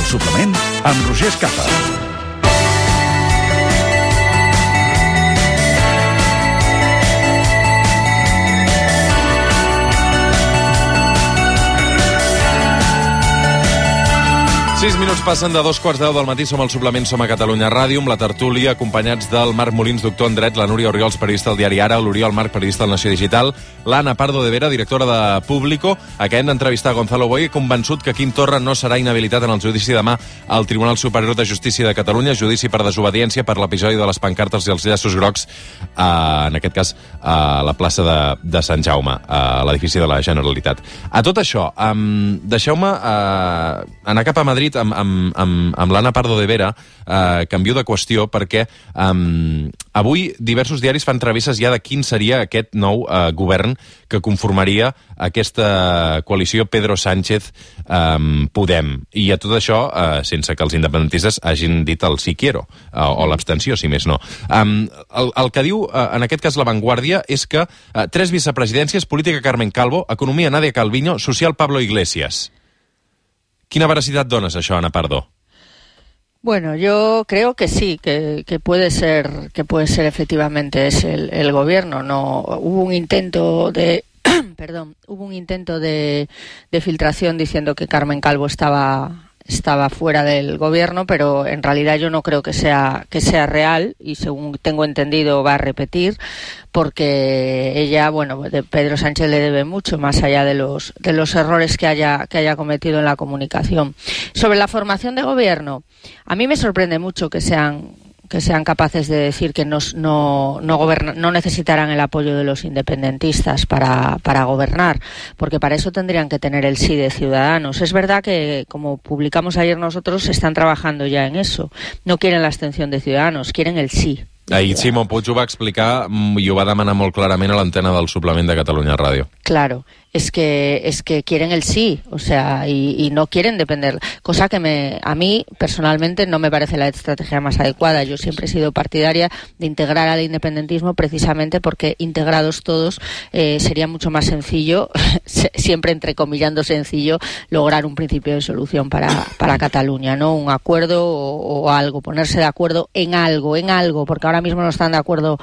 Suplement amb Roger Escapa. 6 minuts passen de 2:15 del matí. Som al Suplement, som a Catalunya Ràdio, amb la tertúlia, acompanyats del Marc Molins, doctor en dret, la Núria Orriols, periodista del diari Ara, l'Oriol Marc, periodista del Nació Digital, l'Anna Pardo de Vera, directora de Público. Acabem d'entrevistar Gonzalo Boye, convençut que Quim Torra no serà inhabilitat en el judici demà al Tribunal Superior de Justícia de Catalunya, judici per desobediència per l'episodi de les pancartes i els llaços grocs, en aquest cas a la plaça de Sant Jaume, a l'edifici de la Generalitat. A tot això, deixeu-me anar cap a Madrid amb l'Anna Pardo de Vera. Canvio de qüestió perquè avui diversos diaris fan travesses ja de quin seria aquest nou govern que conformaria aquesta coalició Pedro Sánchez-Podem. I a tot això, sense que els independentistes hagin dit el sí quiero, o l'abstenció, si més no. El que diu, en aquest cas, La Vanguardia, és que 3 vicepresidències, política Carmen Calvo, economia Nadia Calviño, social Pablo Iglesias. ¿Quina veracidad dones això, Ana Pardo? Bueno, yo creo que sí, que puede ser efectivamente es el gobierno. No hubo un intento de hubo un intento de filtración diciendo que Carmen Calvo estaba fuera del gobierno, pero en realidad yo no creo que sea real, y según tengo entendido va a repetir, porque ella, bueno, de Pedro Sánchez le debe mucho, más allá de los errores que haya cometido en la comunicación. Sobre la formación de gobierno, a mí me sorprende mucho que sean capaces de decir que no necesitarán el apoyo de los independentistas para gobernar, porque para eso tendrían que tener el sí de Ciudadanos. Es verdad que, como publicamos ayer nosotros, están trabajando ya en eso. No quieren la abstención de Ciudadanos, quieren el sí. Ahir Simón Puig ho va explicar i ho va demanar molt clarament a l'antena del Suplement de Catalunya Ràdio. Claro, es que quieren el sí, o sea, y no quieren depender, cosa que a mí personalmente no me parece la estrategia más adecuada. Yo siempre he sido partidaria de integrar al independentismo, precisamente porque integrados todos sería mucho más sencillo, siempre entrecomillando sencillo, lograr un principio de solución para Cataluña, ¿no? Un acuerdo o algo, ponerse de acuerdo en algo, porque ahora mismo no están de acuerdo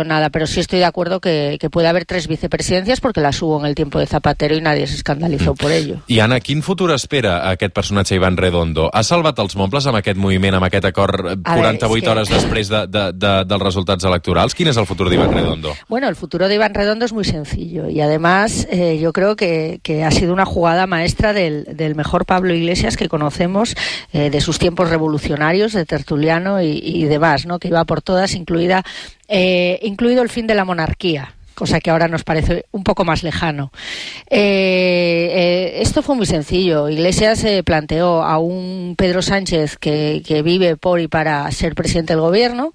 en nada, pero sí estoy de acuerdo que puede haber 3 vicepresidencias, porque las hubo en el tiempo de Zapatero y nadie se escandalizó por ello. I Anna, quin futur espera aquest personatge Iván Redondo? Ha salvat els mobles amb aquest moviment, amb aquest acord 48 hores després dels resultats electorals? Quin és el futur d'Iván Redondo? Bueno, el futuro de Iván Redondo es muy sencillo, y además yo creo que ha sido una jugada maestra del mejor Pablo Iglesias que conocemos, de sus tiempos revolucionarios, de tertuliano y demás, ¿no? Que iba por todas, incluido el fin de la monarquía, cosa que ahora nos parece un poco más lejano. Esto fue muy sencillo. Iglesias planteó a un Pedro Sánchez que vive por y para ser presidente del gobierno,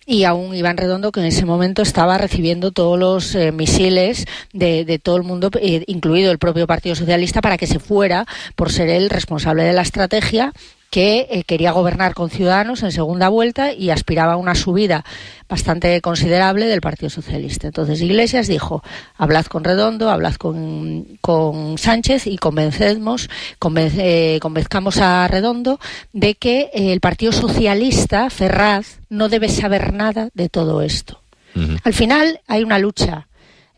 y a un Iván Redondo que en ese momento estaba recibiendo todos los misiles de todo el mundo, incluido el propio Partido Socialista, para que se fuera por ser el responsable de la estrategia, que quería gobernar con Ciudadanos en segunda vuelta y aspiraba a una subida bastante considerable del Partido Socialista. Entonces Iglesias dijo: hablad con Redondo, hablad con Sánchez y convenzcamos a Redondo de que el Partido Socialista, Ferraz, no debe saber nada de todo esto. Uh-huh. Al final hay una lucha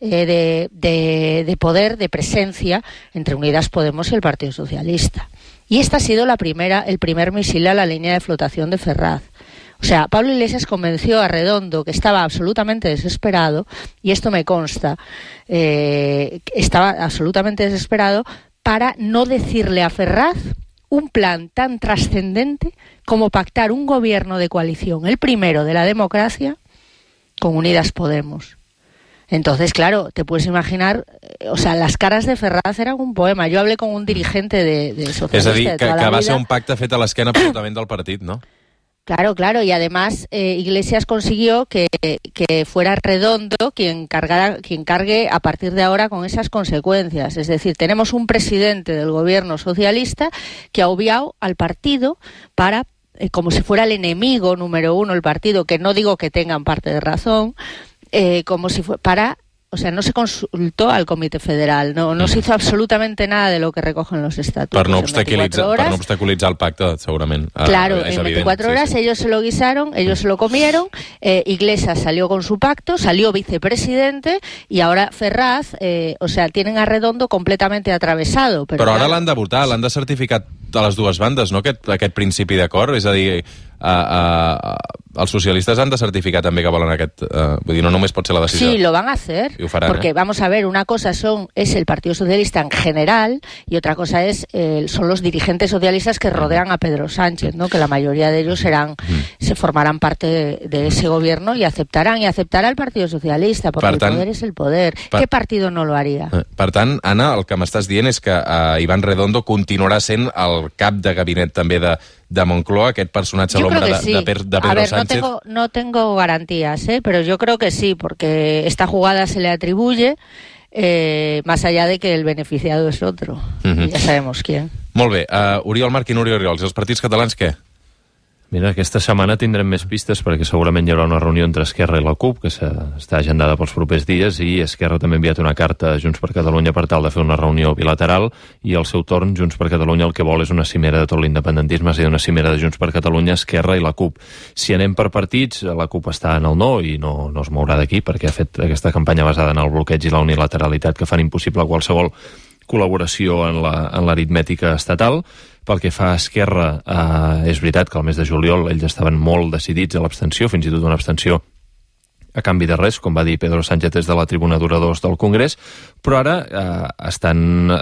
de poder, de presencia entre Unidas Podemos y el Partido Socialista. Y esta ha sido el primer misil a la línea de flotación de Ferraz. O sea, Pablo Iglesias convenció a Redondo, que estaba absolutamente desesperado, y esto me consta, estaba absolutamente desesperado, para no decirle a Ferraz un plan tan trascendente como pactar un gobierno de coalición, el primero de la democracia, con Unidas Podemos. Entonces, claro, te puedes imaginar, o sea, las caras de Ferraz eran un poema. Yo hablé con un dirigente de socialista. És a dir, de toda que la va vida. ser un pacte fet a l'esquena absolutament del partit, no? Claro, y además Iglesias consiguió que fuera Redondo quien cargue a partir de ahora con esas consecuencias. Es decir, tenemos un presidente del gobierno socialista que ha obviado al partido para, como si fuera el enemigo número 1, el partido, que no digo que tengan parte de razón, como si fuera para o sea, no se consultó al Comité Federal, no se hizo absolutamente nada de lo que recogen los estatutos. Per no obstaculitzar el pacte, segurament. Claro, en 24 horas ellos se lo guisaron, ellos se lo comieron, Iglesias salió con su pacto, salió vicepresidente y ahora Ferraz, o sea, tienen a Redondo completamente atravesado. Però ara l'han de votar, l'han de certificar a les dues bandes, no? Aquest principi d'acord, és a dir, els socialistes han de certificar també que volen aquest... vull dir, no només pot ser la decisió. Sí, lo van a hacer, faran, porque vamos a ver, una cosa es el Partido Socialista en general y otra cosa son los dirigentes socialistas que rodean a Pedro Sánchez, ¿no? Que la mayoría de ellos se formarán parte de ese gobierno y aceptará el Partido Socialista, porque el poder es el poder. ¿Qué partido no lo haría? Per tant, Anna, el que m'estàs dient és que Iván Redondo continuarà sent el cap de gabinet també de Moncloa, aquest personatge a l'ombra de Pedro Sánchez. No tengo garantías, pero yo creo que sí, porque esta jugada se le atribuye, más allá de que el beneficiado es otro. Ya sabemos quién. Molt bé. Oriol Marc i Núria Oriols, els partits catalans què? Mira, aquesta setmana tindrem més pistes perquè segurament hi haurà una reunió entre Esquerra i la CUP que està agendada pels propers dies i Esquerra també ha enviat una carta a Junts per Catalunya per tal de fer una reunió bilateral i al seu torn Junts per Catalunya el que vol és una cimera de tot l'independentisme, és a dir, una cimera de Junts per Catalunya, Esquerra i la CUP. Si anem per partits, la CUP està en el no i no es mourà d'aquí perquè ha fet aquesta campanya basada en el bloqueig i la unilateralitat que fan impossible qualsevol col·laboració en l'aritmètica estatal. Pel que fa a Esquerra, és veritat que al mes de juliol ells estaven molt decidits a l'abstenció, fins i tot una abstenció a canvi de res, com va dir Pedro Sánchez des de la tribuna d'oradors del Congrés, però ara estan,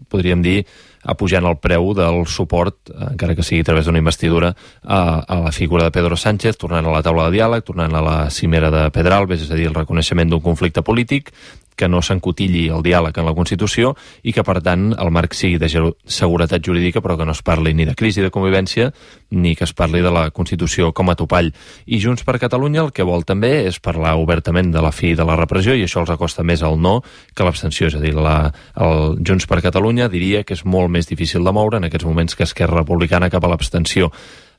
podríem dir, apujant el preu del suport, encara que sigui a través d'una investidura, a la figura de Pedro Sánchez, tornant a la taula de diàleg, tornant a la cimera de Pedralbes, és a dir, el reconeixement d'un conflicte polític, que no s'encotilli el diàleg en la Constitució i que, per tant, el marc sigui de seguretat jurídica, però que no es parli ni de crisi de convivència ni que es parli de la Constitució com a topall. I Junts per Catalunya el que vol també és parlar obertament de la fi de la repressió i això els acosta més al no que l'abstenció. És a dir, el Junts per Catalunya diria que és molt més difícil de moure en aquests moments que Esquerra Republicana cap a l'abstenció.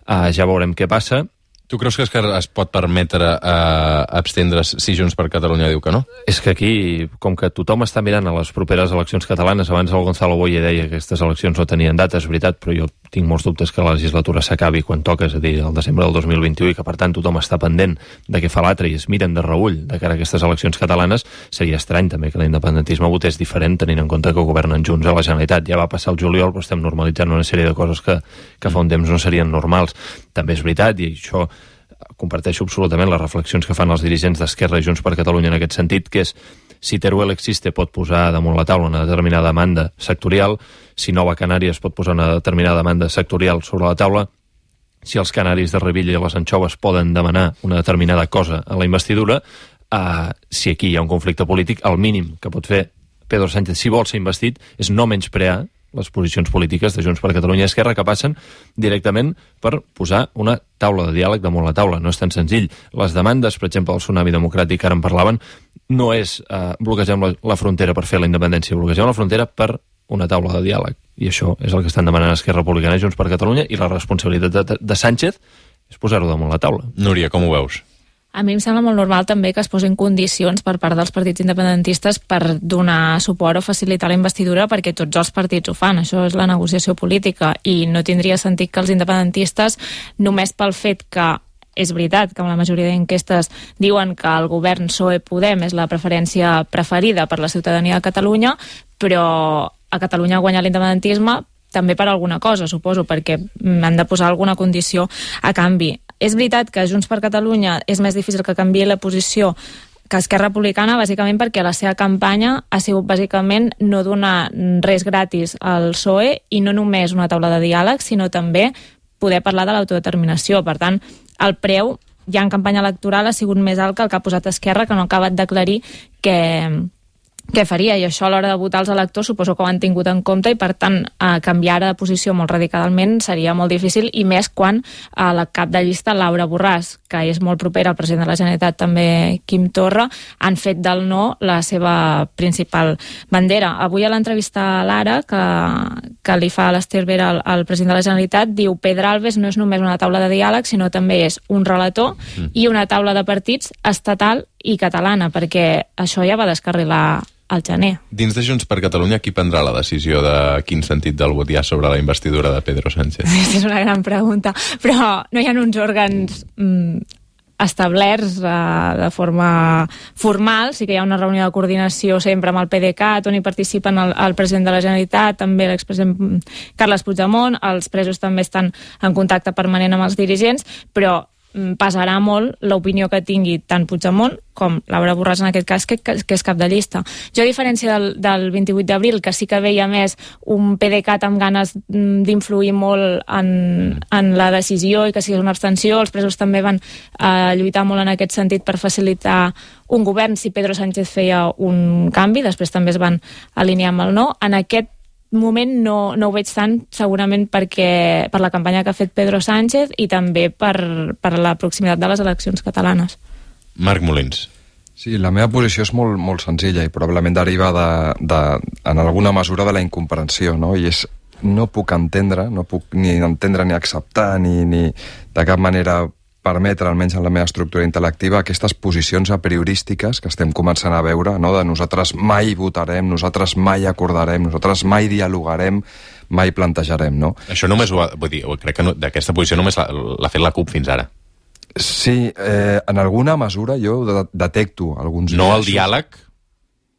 Ja veurem què passa. Tu creus que Esquerra es pot permetre abstendre's si Junts per Catalunya diu que no? És que aquí, com que tothom està mirant a les properes eleccions catalanes, abans el Gonzalo Boye deia que aquestes eleccions no tenien data, és veritat, però jo tinc molts dubtes que la legislatura s'acabi quan toca, és a dir, el desembre del 2021, i que per tant tothom està pendent de què fa l'altre i es miren de reull de cara a aquestes eleccions catalanes. Seria estrany també que l'independentisme votés diferent tenint en compte que governen junts a la Generalitat. Ja va passar el juliol, però estem normalitzant una sèrie de coses que fa un temps no serien normals. També és veritat, i això comparteixo absolutament les reflexions que fan els dirigents d'Esquerra i Junts per Catalunya en aquest sentit, que és si Teruel existe pot posar damunt la taula una determinada demanda sectorial, si Nova Canàries pot posar una determinada demanda sectorial sobre la taula, si els canaris de Revilla i les anxoves poden demanar una determinada cosa a la investidura, si aquí hi ha un conflicte polític, el mínim que pot fer Pedro Sánchez, si vol ser investit, és no menysprear les posicions polítiques de Junts per Catalunya i Esquerra, que passen directament per posar una taula de diàleg damunt la taula. No és tan senzill. Les demandes, per exemple, del Tsunami Democràtic, que ara en parlaven, no és bloquejar la frontera per fer la independència, bloquejar la frontera per una taula de diàleg. I això és el que estan demanant Esquerra Republicana i Junts per Catalunya, i la responsabilitat de Sánchez és posar-ho damunt la taula. Núria, com ho veus? A mi em sembla molt normal també que es posin condicions per part dels partits independentistes per donar suport o facilitar la investidura, perquè tots els partits ho fan. Això és la negociació política i no tindria sentit que els independentistes, només pel fet que és veritat que amb la majoria d'enquestes diuen que el govern PSOE-Podem és la preferència preferida per la ciutadania de Catalunya, però a Catalunya ha guanyat l'independentisme també per alguna cosa, suposo, perquè han de posar alguna condició a canvi. És veritat que Junts per Catalunya és més difícil que canviï la posició que Esquerra Republicana, bàsicament perquè la seva campanya ha sigut bàsicament no donar res gratis al PSOE i no només una taula de diàleg, sinó també poder parlar de l'autodeterminació. Per tant, el preu ja en campanya electoral ha sigut més alt que el que ha posat Esquerra, que no ha acabat d'aclarir què faria, i això a l'hora de votar els electors suposo que ho han tingut en compte i per tant canviar de posició molt radicalment seria molt difícil, i més quan la cap de llista Laura Borràs, que és molt propera al president de la Generalitat, també Quim Torra, han fet del no la seva principal bandera. Avui a l'entrevista a l'Ara, que li fa l'Ester Vera al president de la Generalitat, diu Pedralbes no és només una taula de diàleg, sinó també és un relator i una taula de partits estatal i catalana, perquè això ja va descarrilar al gener. Dins de Junts per Catalunya, qui prendrà la decisió de quin sentit del vot hi ha sobre la investidura de Pedro Sánchez? És una gran pregunta, però no hi ha uns òrgans establerts de forma formal. Sí que hi ha una reunió de coordinació sempre amb el PDeCAT, on hi participen el president de la Generalitat, també l'expresident Carles Puigdemont, els presos també estan en contacte permanent amb els dirigents, però pesarà molt l'opinió que tingui tant Puigdemont com Laura Borràs en aquest cas, que és cap de llista. Jo, a diferència del 28 d'abril, que sí que veia més un PDeCAT amb ganes d'influir molt en la decisió i que sigui una abstenció, els presos també van lluitar molt en aquest sentit per facilitar un govern si Pedro Sánchez feia un canvi, després també es van alinear amb el no. En aquest moment no ho veig tant, segurament per la campanya que ha fet Pedro Sánchez i també per la proximitat de les eleccions catalanes. Marc Molins. Sí, la meva posició és molt, molt senzilla i probablement deriva en alguna mesura de la incomprensió, no? I és, no puc entendre ni acceptar ni de cap manera permetre, almenys en la meva estructura intel·lectiva, aquestes posicions apriorístiques que estem començant a veure, no? De nosaltres mai votarem, nosaltres mai acordarem, nosaltres mai dialogarem, mai plantejarem, no? Això només vull dir, crec que d'aquesta posició només l'ha fet la CUP fins ara. Sí, en alguna mesura jo detecto alguns... No el diàleg?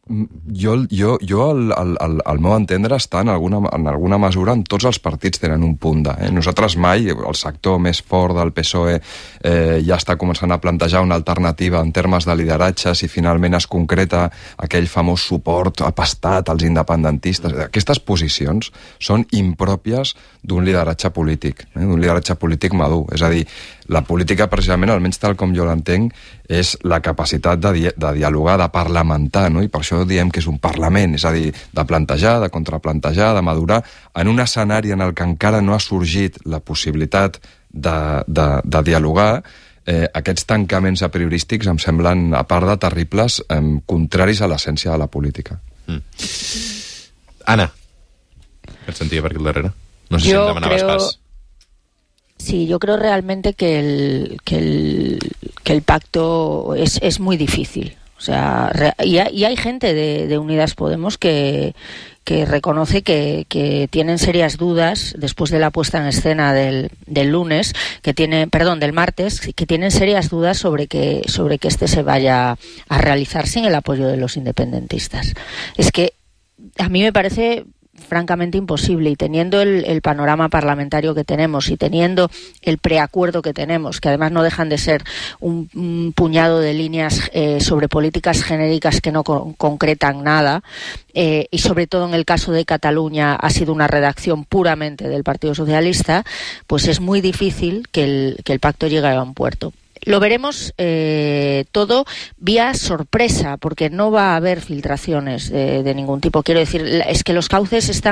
Jo al meu entendre està en alguna mesura en tots els partits tenen un punt de... Nosaltres mai, el sector més fort del PSOE ja està començant a plantejar una alternativa en termes de lideratge si finalment es concreta aquell famós suport apastat als independentistes. Aquestes posicions són impròpies d'un lideratge polític, d'un lideratge polític madur. És a dir, la política precisament, almenys tal com jo l'entenc, és la capacitat de dialogar, de parlamentar, no? I per això diem que és un parlament, és a dir, de plantejar, de contraplantejar, de madurar, en un escenari en el que encara no ha sorgit la possibilitat de dialogar. Aquests tancaments apriorístics em semblen, a part de terribles, contraris a l'essència de la política. Anna, què et sentia per aquí al darrere? No sé si em demanaves pas. Sí, yo creo realmente que el pacto es muy difícil. O sea, y hay gente de Unidas Podemos que reconoce que tienen serias dudas después de la puesta en escena del martes, que tienen serias dudas sobre que este se vaya a realizar sin el apoyo de los independentistas. Es que a mí me parece francamente imposible, y teniendo el panorama parlamentario que tenemos y teniendo el preacuerdo que tenemos, que además no dejan de ser un puñado de líneas sobre políticas genéricas que no concretan nada, y sobre todo en el caso de Cataluña ha sido una redacción puramente del Partido Socialista, pues es muy difícil que el pacto llegue a buen puerto. Lo veremos todo vía sorpresa, porque no va a haber filtraciones de ningún tipo. Quiero decir, es que los cauces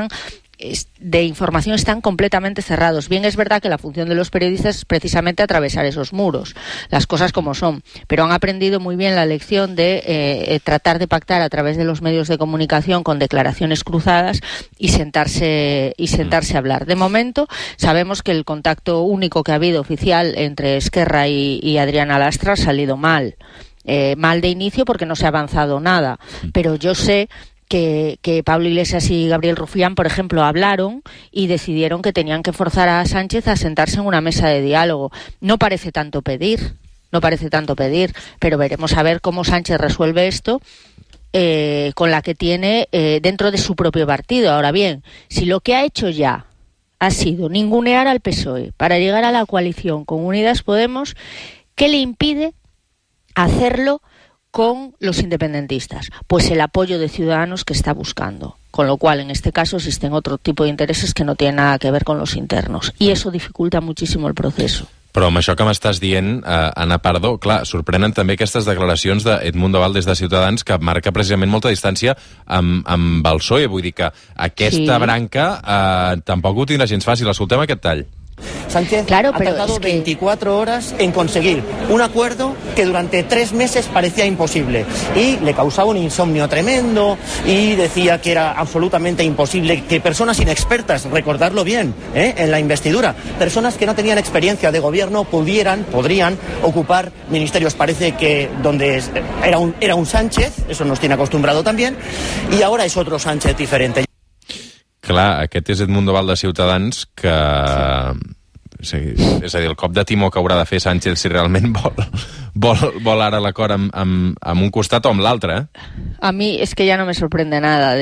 de información están completamente cerrados. Bien, es verdad que la función de los periodistas es precisamente atravesar esos muros, las cosas como son, pero han aprendido muy bien la lección de tratar de pactar a través de los medios de comunicación con declaraciones cruzadas y sentarse a hablar. De momento sabemos que el contacto único que ha habido oficial entre Esquerra y Adriana Lastra ha salido mal. Mal de inicio porque no se ha avanzado nada, pero yo sé que Pablo Iglesias y Gabriel Rufián, por ejemplo, hablaron y decidieron que tenían que forzar a Sánchez a sentarse en una mesa de diálogo. No parece tanto pedir, pero veremos a ver cómo Sánchez resuelve esto con la que tiene dentro de su propio partido. Ahora bien, si lo que ha hecho ya ha sido ningunear al PSOE para llegar a la coalición con Unidas Podemos, ¿qué le impide hacerlo con los independentistas? Pues el apoyo de Ciudadanos que está buscando. Con lo cual, en este caso, existen otro tipo de intereses que no tienen nada que ver con los internos. I eso dificulta muchísimo el proceso. Però amb això que m'estàs dient, Anna Pardo, clar, sorprenen també aquestes declaracions d'Edmundo Valdés de Ciutadans, que marca precisament molta distància amb el PSOE. Vull dir que aquesta branca tampoc ho tindrà gens fàcil. Escoltem aquest tall. Sánchez ha tardado 24 horas en conseguir un acuerdo que durante 3 meses parecía imposible y le causaba un insomnio tremendo y decía que era absolutamente imposible que personas inexpertas, recordarlo bien, en la investidura, personas que no tenían experiencia de gobierno podrían ocupar ministerios. Parece que donde era un Sánchez, eso nos tiene acostumbrado también, y ahora es otro Sánchez diferente. Clar, aquest és Edmundo Val de Ciutadans que... Sí, és a dir, el cop de timó que haurà de fer Sánchez si realment vol ara l'acord amb un costat o amb l'altre, A mí es que ya no me sorprende nada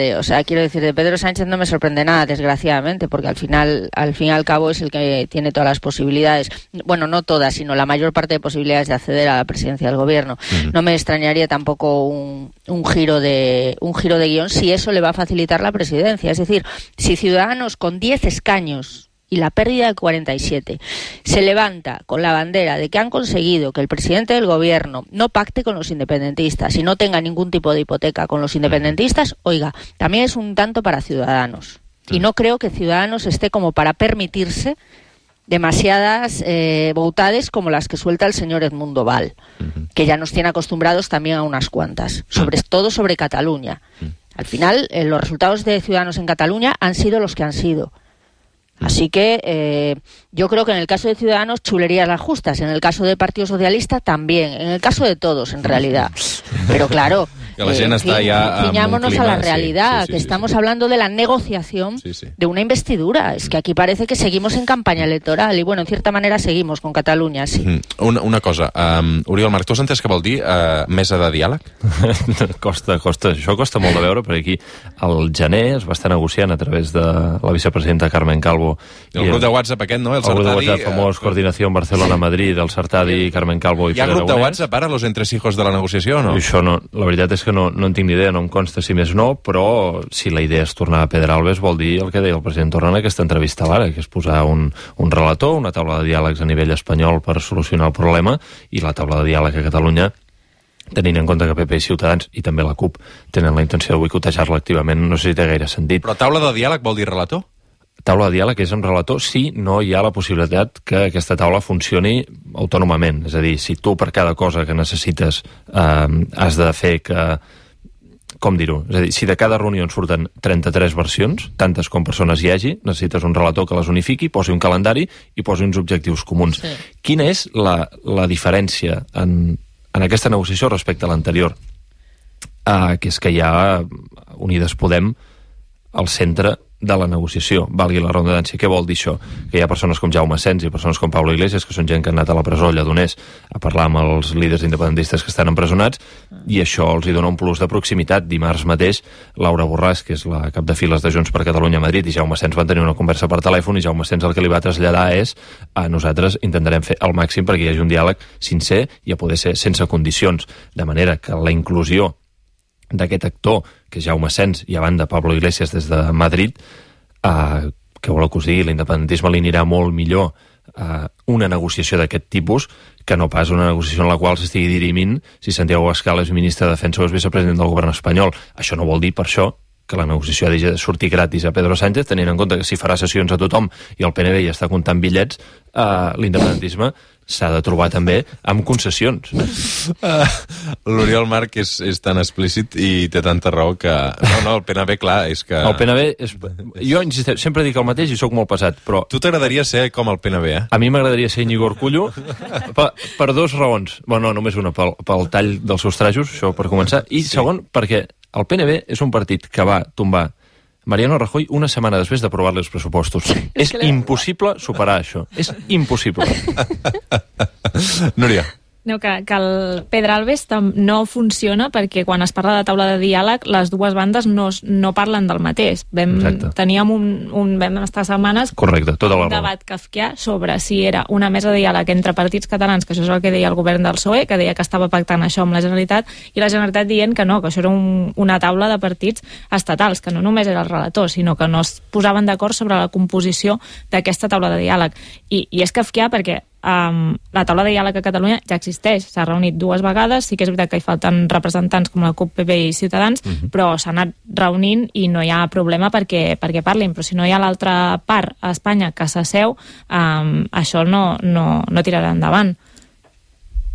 quiero decir, de Pedro Sánchez no me sorprende nada, desgraciadamente, porque al fin y al cabo es el que tiene todas las posibilidades, bueno, no todas, sino la mayor parte de posibilidades de acceder a la presidencia del gobierno. No me extrañaría tampoco un giro de guión si eso le va a facilitar la presidencia. Es decir, si Ciudadanos con 10 escaños y la pérdida de 47 se levanta con la bandera de que han conseguido que el presidente del gobierno no pacte con los independentistas y no tenga ningún tipo de hipoteca con los independentistas, oiga, también es un tanto para Ciudadanos. Y no creo que Ciudadanos esté como para permitirse demasiadas boutades como las que suelta el señor Edmundo Val, que ya nos tiene acostumbrados también a unas cuantas, sobre todo sobre Cataluña. Al final, los resultados de Ciudadanos en Cataluña han sido los que han sido. Así que yo creo que en el caso de Ciudadanos chulerías las justas, en el caso del Partido Socialista también, en el caso de todos en realidad. Pero claro, que la gent està ja ciñámonos a la realidad, que estamos hablando de la negociación de una investidura. Es que aquí parece que seguimos en campaña electoral y bueno, en cierta manera seguimos con Catalunya, sí. Una cosa, Oriol Marc, tu has entès què vol dir mesa de diàleg? Costa, això costa molt de veure, perquè aquí al gener es va estar negociant a través de la vicepresidenta Carmen Calvo. El grup de WhatsApp aquest, no? El grup de WhatsApp famós, Coordinació Barcelona-Madrid, el Sartadi, Carmen Calvo i Pere Aragonès. Hi ha grup de WhatsApp ara, los entresijos de la negociació, o no? Això no, la veritat és que no en tinc ni idea, no em consta si més no, però si la idea és tornar a Pedralbes vol dir el que deia el president Torra en aquesta entrevista ara, que és posar un relator, una taula de diàlegs a nivell espanyol per solucionar el problema, i la taula de diàleg a Catalunya, tenint en compte que PP i Ciutadans, i també la CUP, tenen la intenció de boicotejar-la activament, no sé si té gaire sentit. Però taula de diàleg vol dir relator? Taula de diàleg és amb relator si no hi ha la possibilitat que aquesta taula funcioni autònomament. És a dir, si tu per cada cosa que necessites has de fer que... Com dir-ho? És a dir, si de cada reunió en surten 33 versions, tantes com persones hi hagi, necessites un relator que les unifiqui, posi un calendari i posi uns objectius comuns. Sí. Quina és la diferència en aquesta negociació respecte a l'anterior? Que és que hi ha Unides Podem al centre de la negociació, valgui la redundància. Què vol dir això? Que hi ha persones com Jaume Asens i persones com Pablo Iglesias, que són gent que han anat a la presó a Lledoners a parlar amb els líders independentistes que estan empresonats, i això els hi dona un plus de proximitat. Dimarts mateix, Laura Borràs, que és la cap de files de Junts per Catalunya a Madrid, i Jaume Asens van tenir una conversa per telèfon, i Jaume Asens el que li va traslladar és nosaltres intentarem fer el màxim perquè hi hagi un diàleg sincer i a poder ser sense condicions, de manera que la inclusió d'aquest actor, que és Jaume Asens, i a banda Pablo Iglesias des de Madrid, que voleu que us digui, l'independentisme li anirà molt millor una negociació d'aquest tipus que no pas una negociació en la qual s'estigui dirimint si Santiago Abascal és ministre de Defensa o és vicepresident del govern espanyol. Això no vol dir per això que la negociació ha de sortir gratis a Pedro Sánchez, tenint en compte que si farà sessions a tothom i el PNB ja està comptant bitllets, l'independentisme s'ha de trobar també amb concessions. L'Oriol Marc és tan explícit i té tanta raó que... No, el PNB, clar, és que... El PNB és... Jo insisteixo, sempre dic el mateix i sóc molt pesat, però... Tu t'agradaria ser com el PNB, eh? A mi m'agradaria ser Íñigo Urkullu per dues raons. Bueno, no, només una, pel tall dels seus trajos, això per començar, i segon, perquè el PNB és un partit que va tombar Mariano Rajoy una setmana després d'aprovar-li els pressupostos. És impossible superar això. És impossible. Núria. No, que el Pedralbes no funciona perquè quan es parla de taula de diàleg les dues bandes no parlen del mateix. Vam estar setmanes correcte, tota la un debat kafkià sobre si era una mesa de diàleg entre partits catalans, que això és el que deia el govern del PSOE, que deia que estava pactant això amb la Generalitat, i la Generalitat dient que no, que això era una taula de partits estatals, que no només era el relator, sinó que no es posaven d'acord sobre la composició d'aquesta taula de diàleg. I és kafkià perquè la taula de diàleg a Catalunya ja existeix, s'ha reunit 2 vegades, sí que és veritat que hi falten representants com la CUP, PP i Ciutadans, però s'ha anat reunint i no hi ha problema perquè parlin, però si no hi ha l'altra part a Espanya que s'asseu, això no tirarà endavant.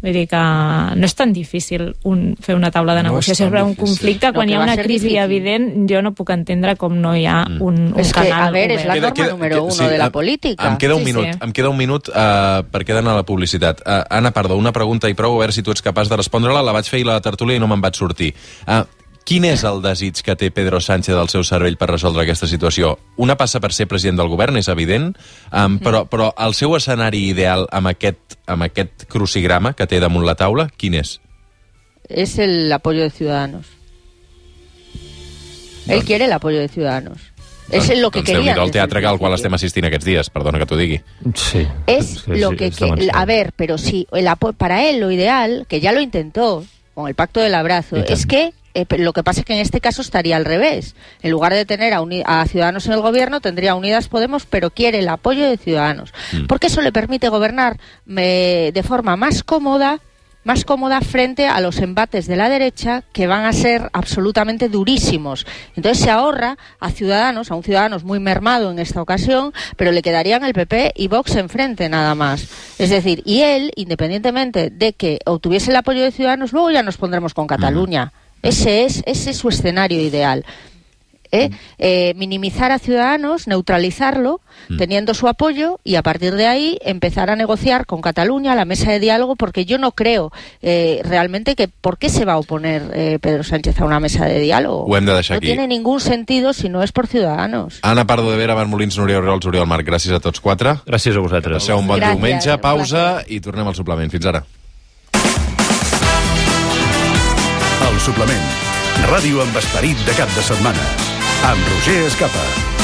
Vull dir que no és tan difícil fer una taula de negociació sobre un conflicte quan hi ha una crisi evident. Jo no puc entendre com no hi ha un canal obert. És la norma número 1 de la política. Em queda un minut perquè he d'anar a la publicitat. Anna Pardo, una pregunta i prou, a veure si tu ets capaç de respondre-la. La vaig fer a la tertúlia i no me'n vaig sortir. Quin és el desig que té Pedro Sánchez al seu cervell per resoldre aquesta situació? Una passa per ser president del govern, és evident, però el seu escenari ideal amb aquest crucigrama que té damunt la taula, quin és? Es el apoyo de Ciudadanos. Él quiere el apoyo de Ciudadanos. Es lo que quería. El teatre al qual estem assistint aquests dies, perdona que t'ho digui. Sí. Es lo que... A ver, pero sí, para él lo ideal, que ya lo intentó con el Pacto del Abrazo, es que lo que pasa es que en este caso estaría al revés. En lugar de tener a Ciudadanos en el gobierno, tendría Unidas Podemos, pero quiere el apoyo de Ciudadanos. Porque eso le permite gobernar de forma más cómoda frente a los embates de la derecha, que van a ser absolutamente durísimos. Entonces se ahorra a un Ciudadanos muy mermado en esta ocasión, pero le quedarían el PP y Vox enfrente nada más. Es decir, y él, independientemente de que obtuviese el apoyo de Ciudadanos, luego ya nos pondremos con Cataluña. Ese es su escenario ideal. Minimizar a Ciudadanos, neutralizarlo, teniendo su apoyo, y a partir de ahí empezar a negociar con Cataluña, la mesa de diálogo, porque yo no creo realmente que ¿por qué se va a oponer Pedro Sánchez a una mesa de diálogo? No tiene ningún sentido si no és per Ciudadanos. Anna Pardo de Vera, Marc Molins, Núria Oriols, Oriol Marc, gràcies a tots 4. Gràcies a vosaltres. Passeu un bon diumenge, pausa i tornem al suplement. Fins ara. El suplement. Ràdio amb esperit de cap de setmana. Amb Roger Escapa.